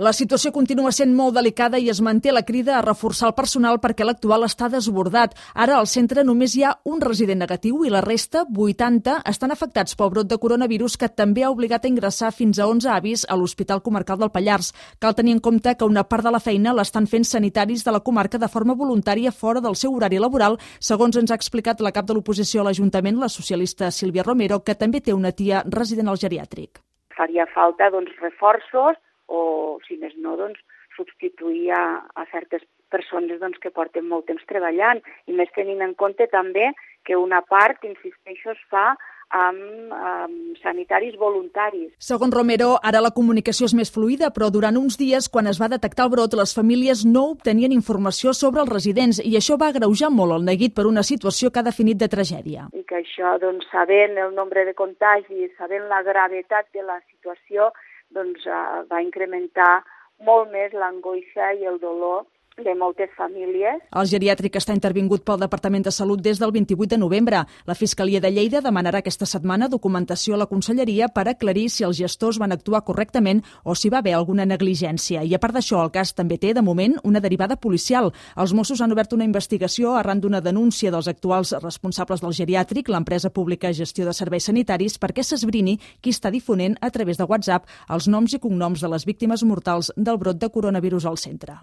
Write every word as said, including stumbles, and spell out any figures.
La situació continua sent molt delicada i es manté la crida a reforçar el personal perquè l'actual està desbordat. Ara al centre només hi ha un resident negatiu i la resta, vuitanta, estan afectats pel brot de coronavirus que també ha obligat a ingressar fins a onze avis a l'Hospital Comarcal del Pallars. Cal tenir en compte que una part de la feina l'estan fent sanitaris de la comarca de forma voluntària fora del seu horari laboral, segons ens ha explicat la cap de l'oposició a l'Ajuntament, la socialista Sílvia Romero, que també té una tia resident al geriàtric. Faria falta doncs, reforços o, si més no, doncs, substituir a, a certes persones doncs, que porten molt temps treballant, i més tenint en compte també que una part, insisteixo, es fa amb, amb sanitaris voluntaris. Segons Romero, ara la comunicació és més fluida, però durant uns dies, quan es va detectar el brot, les famílies no obtenien informació sobre els residents i això va agreujar molt el neguit per una situació que ha definit de tragèdia. I que això, doncs, sabent el nombre de contagis, sabent la gravetat de la situació, doncs uh, va incrementar molt més l'angoixa i el dolor de moltes famílies. El geriàtric està intervingut pel Departament de Salut des del vint-i-vuit de novembre. La Fiscalia de Lleida demanarà aquesta setmana documentació a la Conselleria per aclarir si els gestors van actuar correctament o si va haver alguna negligència. I a part d'això, el cas també té, de moment, una derivada policial. Els Mossos han obert una investigació arran d'una denúncia dels actuals responsables del geriàtric, l'empresa pública Gestió de Serveis Sanitaris, perquè s'esbrini qui està difonent a través de WhatsApp els noms i cognoms de les víctimes mortals del brot de coronavirus al centre.